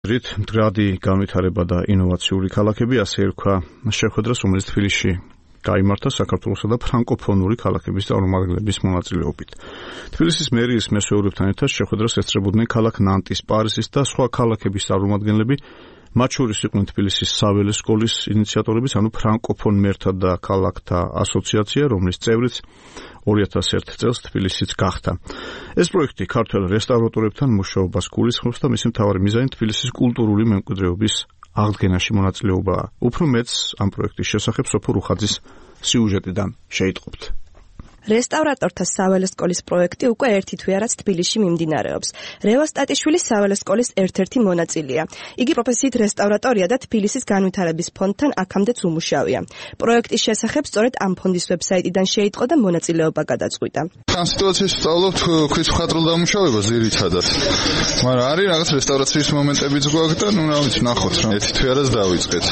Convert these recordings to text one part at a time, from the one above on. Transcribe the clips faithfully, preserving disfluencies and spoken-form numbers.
რით მდგრადი განვითარება და ინოვაციური ქალაქები, ასე ერქვა შეხვედრას, რომელიც თბილისში გაიმართა საქართველოსა და ფრანკოფონური ქალაქების წარმომადგენლების მონაწილეობით. თბილისის მერიის მესვეურებთან ერთად შეხვედრას ესწრებოდნენ ქალაქ ნანტის, პარიზის და სხვა ქალაქების წარმომადგენლები, მათ შორის იყვნენ თბილისის საველე სკოლის ინიციატორებიც, ანუ ფრანკოფონ მერთა და ქალაქთა ასოციაცია, რომლის წევრიც ორი ათას ერთ წელს თბილისიც გახდა. ეს პროექტი ქართველ რესტავრატორებთან მუშაობას გულისხმობს და მისი მთავარი მიზანი თბილისის კულტურული მემკვიდრეობის აღდგენაში მონაწილეობაა. უფრო მეტს ამ პროექტის შესახებ სოფო რუხაძის სიუჟეტიდან შეიტყობთ. რესტავრატორთა საველე სკოლის პროექტი უკვე ერთი თვე რაც თბილისში მიმდინარეობს. რევას ტატიშვილი საველე სკოლის ერთ-ერთი მონაწილეა. იგი პროფესიით რესტავრატორია და თბილისის განვითარების ფონდთან აქამდეც უმუშავია. პროექტის შესახებ სწორედ ამ ფონდის ვებსაიტიდან შეიტყო და მონაწილეობა გადაწყვიტა. ამ სიტუაციაში ვსწავლობთ ქვის მხატვრულ დამუშავებას ძირითადად. მაგრამ არის რაღაც რესტავრაციის მომენტებიც გვაქვს და ნუ რა ვიცი, ნახოთ რა. ერთი თვე რაც დავიწყეთ.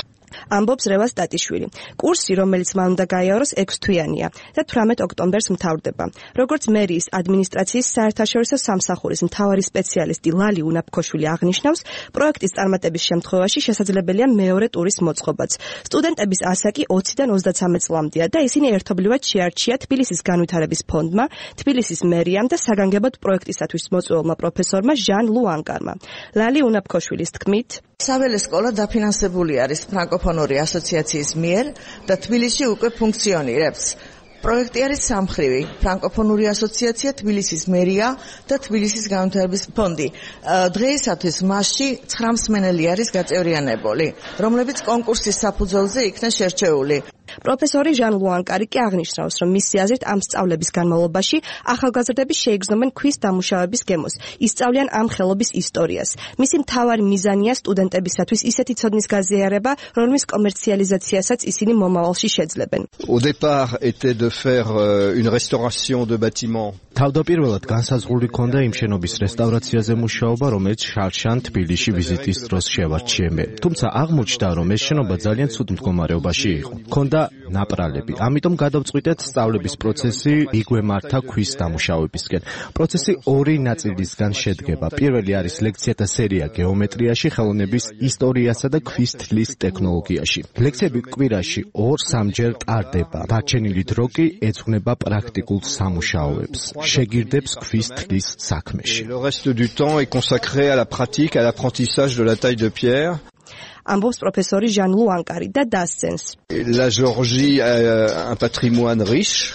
ამბობს რევას ტატიშვილი. კურსი, რომელიც მან უნდა გაიაროს ექვს თვიანია და თვრამეტ ოქტომბერს მთავრდება. როგორც მერიის ადმინისტრაციის საერთაშორისო სამსახურის მთავარი სპეციალისტი ლალი უნაფქოშვილი აღნიშნავს, პროექტის წარმატების შემთხვევაში შესაძლებელია მეორე ტურის მოწყობაც. სტუდენტების ასაკი ოციდან ოცდაცამეტ წლამდეა და ისინი ერთობლივად შეარჩია თბილისის განვითარების ფონდმა, თბილისის მერიამ და საგანგებოდ პროექტისათვის მოწვეულმა პროფესორმა ჟან ლუანკარმა. ლალი უნაფქოშვილის თქმით, საველე სკოლა დაფინანსებული არის ფრანკოფონური ასოციაციის მიერ და თბილისში უკვე ფუნქციონირებს. პროექტი არის სამხრივი: ფრანკოფონური ასოციაცია, თბილისის მერია და თბილისის განვითარების ფონდი. დღეისათვის მასში ცხრა მსმენელი არის გაწევრიანებული, რომლებიც კონკურსის საფუძველზე იქნა შერჩეული. პროფესორი ჟან ლუანკარი კი აღნიშნავს, რომ მისი აზრით ამ სწავლების განმავლობაში ახალგაზრდები შეიგრძნობენ ქვის დამუშავების გემოს, ისწავლიან ამ ხელობის ისტორიას. მისი მთავარი მიზანია სტუდენტებისათვის ისეთი ცოდნის გაზიარება, რომლის კომერციალიზაციასაც ისინი მომავალში შეძლებენ. Au départ était de faire une restauration de bâtiments. თავდაპირველად განსაზღვრული ჰქონდა იმ შენობის რესტავრაციაზე მუშაობა, რომელიც შარშან თბილისში ვიზიტის დროს შევარჩიე მე. თუმცა აღმოჩნდა, რომ ეს შენობა ძალიან ცუდ მდგომარეობაში იყო. ჰქონდა ნაპრალები. ამიტომ გადავწყვიტეთ სწავლების პროცესი მიგვემართა ქვის დამუშავებისკენ. პროცესი ორი ნაწილისგან შედგება. პირველი არის ლექციათა სერია გეომეტრიაში, ხელოვნების ისტორიასა და ქვის თლის ტექნოლოგიაში. ლექციები კვირაში ორ-სამჯერ ტარდება. დარჩენილი დრო კი ეძღვნება პრაქტიკულ სამუშაოებს. შეგირდებს ქვის თლის საქმეში. Le reste du temps est consacré à la pratique, à l'apprentissage de la taille de pierre. ამბობს პროფესორი ჟან ლუანკარი და დასცენს. La Géorgie a un patrimoine riche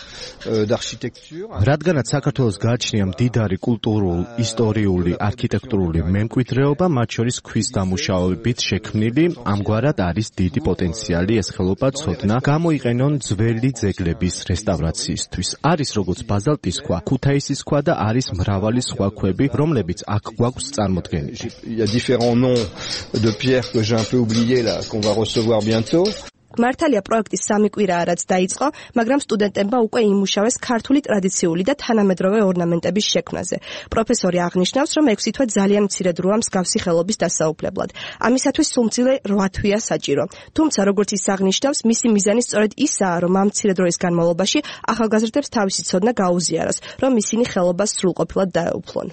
d'architecture. რადგანაც საქართველოს გააჩნია მდიდარი კულტურულ, ისტორიული, არქიტექტურული მემკვიდრეობა, მათ შორის ქვის დამუშავებით შექმნილი, ამგვარად არის დიდი პოტენციალი ეს ხელობა ცოდნა გამოიყენონ ძველი ძეგლების რესტავრაციისთვის. არის როგორც ბაზალტის ქვა, ქუთაისის ქვა და არის მრავალი სხვა ქვები, რომლებიც აქ გვაქვს წარმოდგენილი. Il y a différents noms de pierres que j'ai un peu oubliés là qu'on va recevoir bientôt. მართალია პროექტის სამი კვირაა რაც დაიწყო, მაგრამ სტუდენტებმა უკვე იმუშავეს ქართული ტრადიციული და თანამედროვე ორნამენტების შექმნაზე. პროფესორი აღნიშნავს, რომ ექვსი თვე ძალიან მცირე დროა მსგავსი ხელობის დასაუფლებლად. ამისათვის სულმწილე რვა თვეა საჭირო. თუმცა, როგორც ის აღნიშნავს, მისი მიზანი სწორედ ისაა, რომ ამ მცირე დროის განმავლობაში ახალგაზრდებს თავისი ცოდნა გაუზიაროს, რომ ისინი ხელობას სრულყოფილად დაეუფლონ.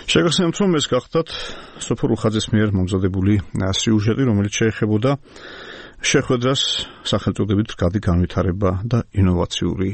შეგახსენებთ, რომ ეს გახდათ სოფო რუხაძის მიერ მომზადებული სიუჟეტი, რომელიც შეეხებოდა შეხვედრას სახელწოდებით მდგრადი განვითარება და ინოვაციური